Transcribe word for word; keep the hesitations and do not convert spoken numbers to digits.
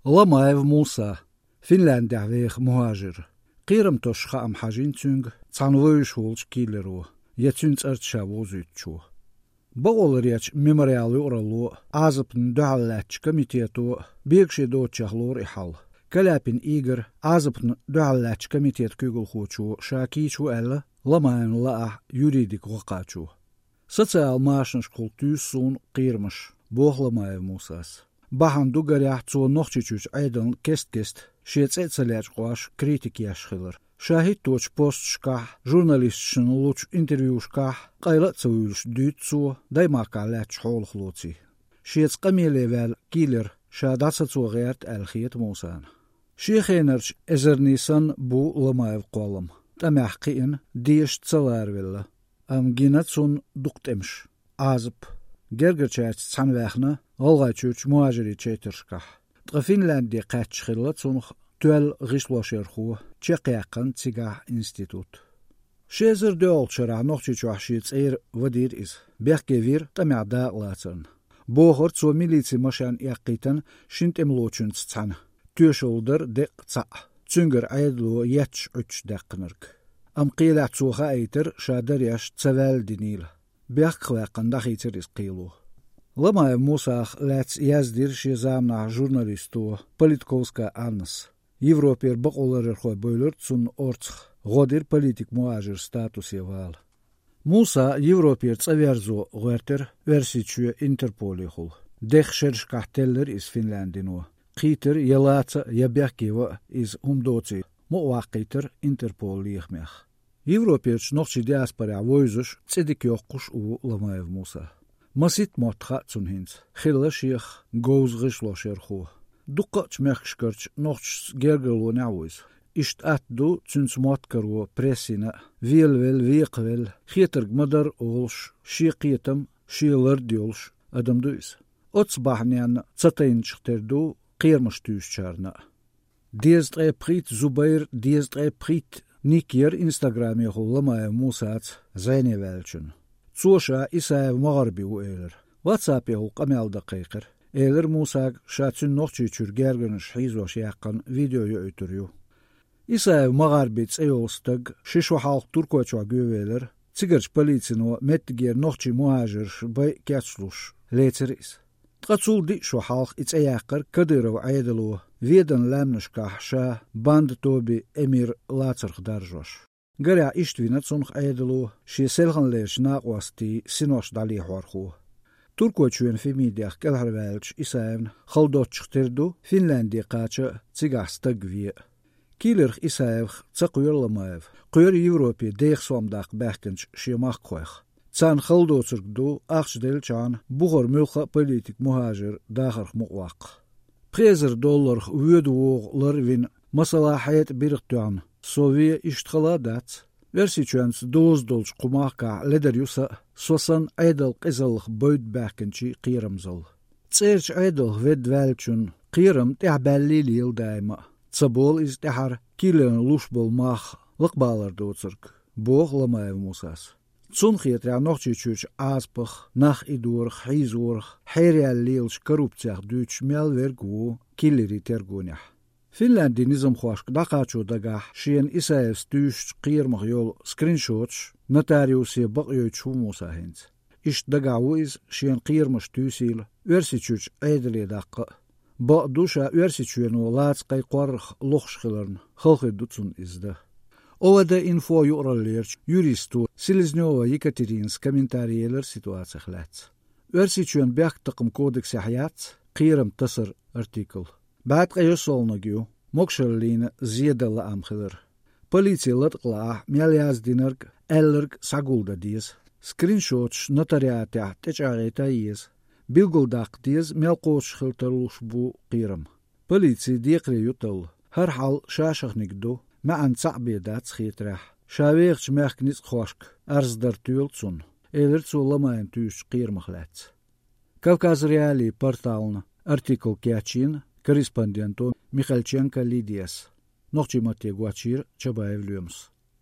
Ламаев Муса, Финляндехь веха мухӀажир. Кхерам тосуш хаам хьажийна цуьнга цхьана вевзаш волчу киллеро, я цуьнан цӀарца ша вовзуьйтучо. Бакъоларъяран «Мемориал» юкъаралло а, Ӏазапна дуьхьал лаьттачу комитето а бегаше доцучех лору и хьал. Каляпин Игорь, Ӏазапна дуьхьал лаьттачу комитетан куьйгалхочо, ша кийча ву аьлла Ламаевна лаахь юридик гӀо кхачо. «Социал машанашкахула туьйсу суна кхерамаш», – боху Ламаев Мусас. Бахьана ду, гарехь, цо Нохчийчуьрчу Ӏедална кест-кеста, шен цӀе а ца лечкъош, критика еш хилар. Ша хӀитточу посташкахь, журналисташна лучу интервьюшкахь къайла а ца вуьйлуш дуьйцу цо Даймахкахь лаьттачу хьолах лоций. Шеца къамеле ваьлла киллер ша дӀасацо гӀерта аьлла хета Мусана. Шен хенарчу эзарний санна бу Ламаевн кхоллам, тӀамехь кхиъна, дезаш ца ларавелла. Амма гина цунна дукха тӀемаш, Ӏазап. Гергарчаьрца цхьаьна ваьхна ГӀалгӀайчуьрчу мухӀажирийн чайтаршкахь. Ткъа Финляндия кхаьчча хилла цунах тоьлла гӀишлошъярхо, чекхъяьккхина цигахь институт. Ши эзар доьалгӀачу шарахь Нохчийчохь шен цӀера вадийра иза. Бехке вира тӀамехь дакъалацарна. Бохура, цо милицин машен эккхийтина шина тӀемалочуьнца цхьаьна. Тоьшалла дара деккъа цхьаъ, цуьнгара Ӏедало етташ-Ӏуьтташ даьккхинарг. Амма кхелехь цо хаийтира, ша дареш ца ваьлла динийла. Бехках ваьккхина дӀахийцира иза кхело. Ламаев Мусах лаьцна яздира шен заманахь журналисто Политковская Аннас. Европера бакъоларъярхой бевлира цунна орцах, гӀо дира политик-мухӀажиран статусе вала. Муса Европера цӀа верзо гӀоьртира Оьрсийчоь Интерполехула. Дех шерашкахь теллира иза Финляндино. Кхийтира я лаца а, я бехке ван а иза хӀума доций, мукъаваккхийтира Интерполан лехамех. Европерчу нохчийн диаспорехь вевзаш, цӀе дика йоккхуш а ву Ламаев Муса. Масийтта мотт хаьа цунна хӀинца, хилла шех говза гӀишлошъярхо. Дуккхачу мехкашкарчу нохчашца гергарлонехь а ву иза. Иштта атта ду цуьнца мотт каро прессина а, велавелла, векхавелла, хетарг ма-дарра олуш, шен кхетам, шен лард йолуш адам ду иза. Оццу бахьаненна ца тайначух тера ду кхерамаш туьйсучарна а. «Дезткъе пхийтта зубайр, дезткъе пхийтта ник» яра Инстаграмехула Ламаев Мусаца зӀене ваьллачунна. Цо ша Исаев МагӀарби ву элира. Ватсапехула къамел дан кхайкхира. Элира Мусага ша цуьнан Нохчийчуьра гергарнаш хьийзош яьккхина видео йоуьйтур ю. Исаев МагӀарби цӀе йолу стаг ши шо хьалха Туркойчохь гӀевелира, цигарчу полицино меттигера нохчийн мухӀажирш байъа кечлуш лецира иза. Ткъа цул диъ шо хьалха и цӀе яьккхира Кадыров Ӏедало, Веданан лаьмнашкахь ша банда тоби эмир лацарх даржош. Гарехь, иштта вина цунах Ӏедало шен селханлерчу накъостийн синош дӀалехьорхо. Туркойчоьнан ФИМИДех кӀелхьарваьллачу Исаевна хала доцчух тера ду Финляндия кхача а, цигахь стаг вен а. Киллерх Исаевх ца кхоьру Ламаев, кхоьру Европе деха сом даккха баьхкинчу шен махкахойх. Царна хала доцург ду, ахча деллачхьана, бухара муьлхха а политик-мухӀажир дахарх мукъаваккха. Пхи эзар долларах воьду-вогӀу ларвина, масала, хьетӀа биргӀа тоьхна со вен иштта хала а дац. Оьрсийчоьнца доза долчу кху махкахь ледар ю сан а, со санна Ӏедалан къизаллах бевдда баьхкинчийн кхерамзалла. ЦӀерачу Ӏедалх ведда ваьллачун кхерам тӀаьхьабаьллий лела даима а. Ца болу иза тӀаьхьара киллерна луш болу мах лакхабалар доцург, боху Ламаев Мусас. Цунна хетарехь, Нохчийчуьрчу Ӏазапах, нах идорах, хьийзорах, хьераяьлла лелачу коррупцех дуьйцуш мел верг а ву киллерийн тергонехь. Финляндин низамхошка дӀакхачо дагахь шена Исаевс туьйсучу кхерамах йолу скриншоташ нотариусе бакъйойтуш ву Муса хӀинца. Иштта дагахь ву иза шена кхерамаш туьйсийла Оьрсийчуьрчу Ӏедале даккха а. Бакъ ду, ша Оьрсийчоьно лаца кхайкхорах лохуш хиларна, хала хир ду цунна иза дан. ОВД-Инфо юкъараллерчу юристо Селезнёва Екатеринас комментарий елира ситуацих лаьцна. Оьрсийчоьнан бехктакхаман кодексехь яц кхерам тасар артикл. БӀе ткъе йоьсналниг ю, могушаллина зен дан лаам хилар. Полици латкъалаахь мел яздинарг, аьлларг схьагулдан деза. Скриншоташ нотариатехь тӀечӀагӀъян еза. Билгалдаккха деза, мел кхочуш хила тарлуш бу кхерам. Полици декхаре ю талла. ХӀара хьал шашахниг ду, маьӀна цхьаъ бен дац хетарехь. Ша вехачу мехкан ницкъахошка арз дар тоьлу цунна, элира цо Ламаевна туьйсучу кхерамах лаьцна. Кавказ.Реалии портална артикл кечйина корреспонденто Михальченко Лидияс. Нохчийн матте гочйийра Чабаев Лоьмас.